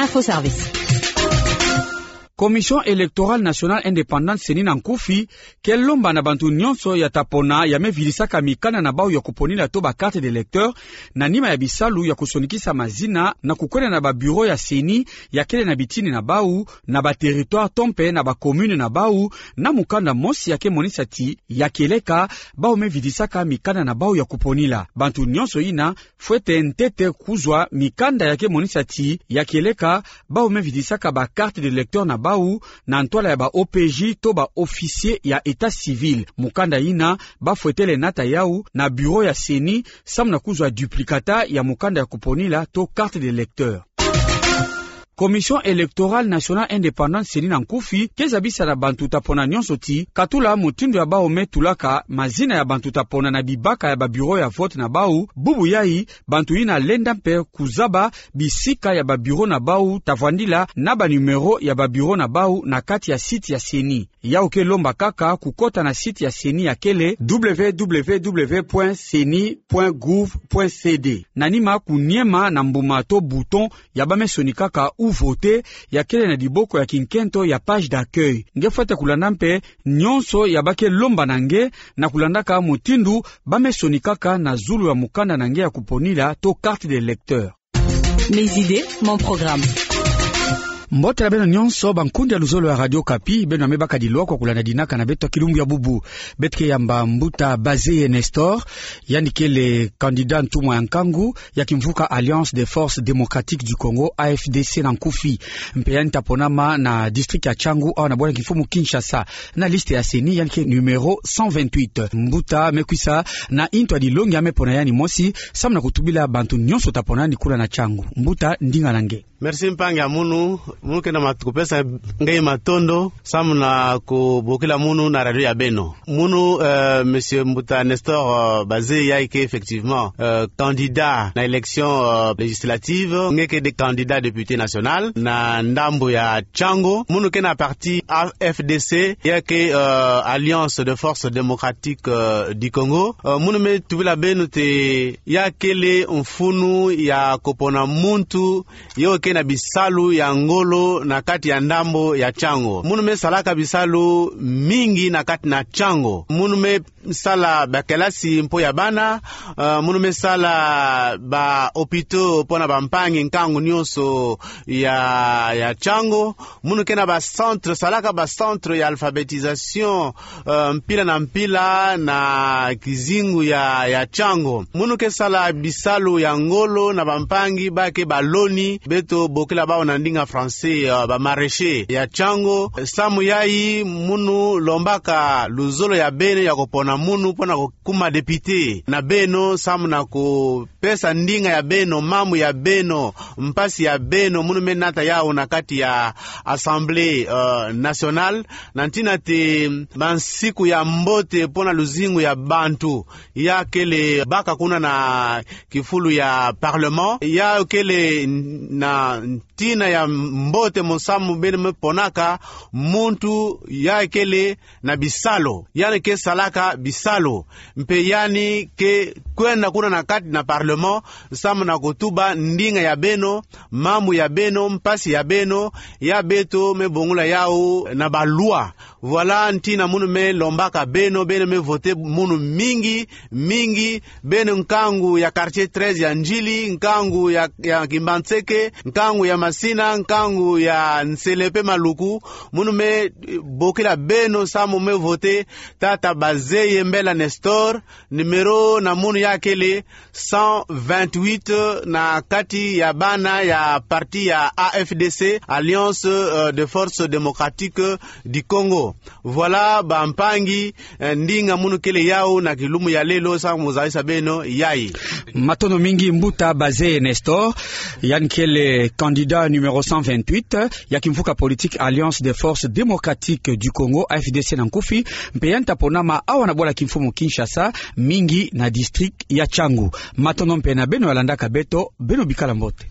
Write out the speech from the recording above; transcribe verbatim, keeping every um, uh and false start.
Info Service. Commission Électorale Nationale Indépendante, CENI, na nkufi ke lomba na bantu nyonso ya ta pona ya me vidisaka mikanda na bau ya kuponila to ba carte d'électeur, na nima ya bisalu ya kusonikisa mazina na kukwenda na ba bureau ya CENI ya kele na bitini na bau, na ba territoire to mpe na ba commune na bau, na mukanda mosi ya ke monisa ti ya kieleka bau me vidisaka mikanda na bau ya kuponila. Bantu nyonso yina fwete ntete kuzwa mikanda ya ke monisa ti ya kieleka bau me vidisaka ba carte d'électeur na bau na ntwala ya ba OPJ to ba officier ya état civil. Mukanda yina ba fwetele nata yau na bureau ya CENI samu na kuzwa duplicata ya mukanda ya kuponila to carte d'électeur. Commission Électorale Nationale Indépendante, CENI, na nkufi ke zabisa na bantu ta pona nyonso ti katula mutindu ya bau me tulaka mazina ya bantu ta pona na bibaka ya ba bureau ya vote na bau, bubu yai bantu yina lenda mpe kuzaba bisika ya ba bureau na bau ta vwandila na ba numéro ya ba bureau na bau na kati ya site ya CENI. Yau ke lomba kaka kukota na site ya CENI ya kele www.ceni.gouv.cd. Na nima kuniema na mbuma to bouton ya ba me sonikaka ou voter ya kele na diboko ya kinkento ya page d'accueil. Nge fwete kulanda mpe nyonso ya ba ke lomba na nge na kulandaka mutindu ba me sonikaka na zulu ya mukanda na nge ya kuponila to carte d'électeur. Mes idées, mon programme. Mbote na beno nyonso, bankundi ya luzolo ya Radio Okapi, beno ya me baka dilwa kwa kulanda dinaka na beto ya kilumbu ya bubu. Beto ke yamba mbuta Bazeye Nestor, yandi kele candidat ntumwa ya nkangu ya kimvuka Alliance des Forces Démocratiques du Congo, A F D C na nkufi. Mpe yandi ta ponama na district ya Tshangu, awa na bwala kimfumu Kinshasa, na liste ya CENI, yandi ke numéro cent vingt-huit. Mbuta me kwisa na ntu ya dilongi ya me pona yandi mosi, samu na kutubila bantu nyonso ta pona yandi kuna na Tshangu. Mbuta, ndinga na nge. Merci mpangi ya munu, munu ke na mat-, kupesa nge matondo, samu na kubokila munu na radio ya beno. Munu, euh, monsieur Mbuta Nestor, euh, Bazeye, yai ke effectivement, euh, candidat na élection, euh, législative, nge ke de candidat député national na ndambu ya Tshangu. Munu ke na parti A F D C, yai ke, euh, Alliance des Forces Démocratiques, euh, du Congo. Euh, munu me tubila beno ti yai kele mfunu ya kupona muntu yo ke na bisalu ya ngolo na kati ya ndambu ya Tshangu. Munu me salaka bisalu mingi na kati na Tshangu. Munu me sala ba kelasi mpo ya bana, euh, munu me sala ba hôpitaux mpo na bampangi nkangu nyonso ya, ya Tshangu. Munu ke na ba centre, salaka ba centre ya alphabétisation, euh, mpila na mpila na kizingu ya, ya Tshangu. Munu ke sala bisalu ya ngolo na bampangi ba ke baloni, beto bokila bau na ndinga français, euh, ba maraîchers ya Tshangu. Samu yai munu lombaka luzolo ya beno ya kupona munu mpo na kukuma député na beno, samu na kupesa ndinga ya beno, mambu ya beno, mpasi ya beno, munu me nata yau na kati ya Assemblée, euh, nationale, na ntina ti bansiku ya mbote mpo na luzingu ya bantu ya kele baka kuna na kifulu ya Parlement, ya kele na ntina ya mbote mo samu beno me ponaka muntu ya kele na bisalu, yandi ke salaka bisalu, mpe yandi ke kwenda kuna na kati na Parlement, samu na kutuba ndinga ya beno, mambu ya beno, mpasi ya beno, ya beto me bongula yau na ba loi. Voilà ntina munu me lombaka beno, beno me voter munu mingi, mingi, beno nkangu ya quartier treize ya Ndjili, nkangu ya, ya Kimbanseke, nkangu ya Masina, nkangu ya Nselepe Maluku, munu me, eh, bokila beno samu me voter tata Bazeye Mbela Nestor, numéro na munu ya kele cent vingt-huit na kati ya bana ya parti ya A F D C, Alliance, euh, des Forces Démocratiques du Congo. Voilà, bampangi, eh, ndinga munu kele yau na kilumbu ya lelo, samu zabisa beno yai. Matondo mingi mbuta Bazeye Nestor, yandi kele candidat numéro cent vingt-huit ya kimvuka politique Alliance des Forces Démocratiques du Congo, A F D C na nkufi, mpe yandi ta ponama awa na bwala kimfumu Kinshasa, mingi na district ya Tshangu. Matondo mpe na beno ya landaka beto, beno bikala mbote.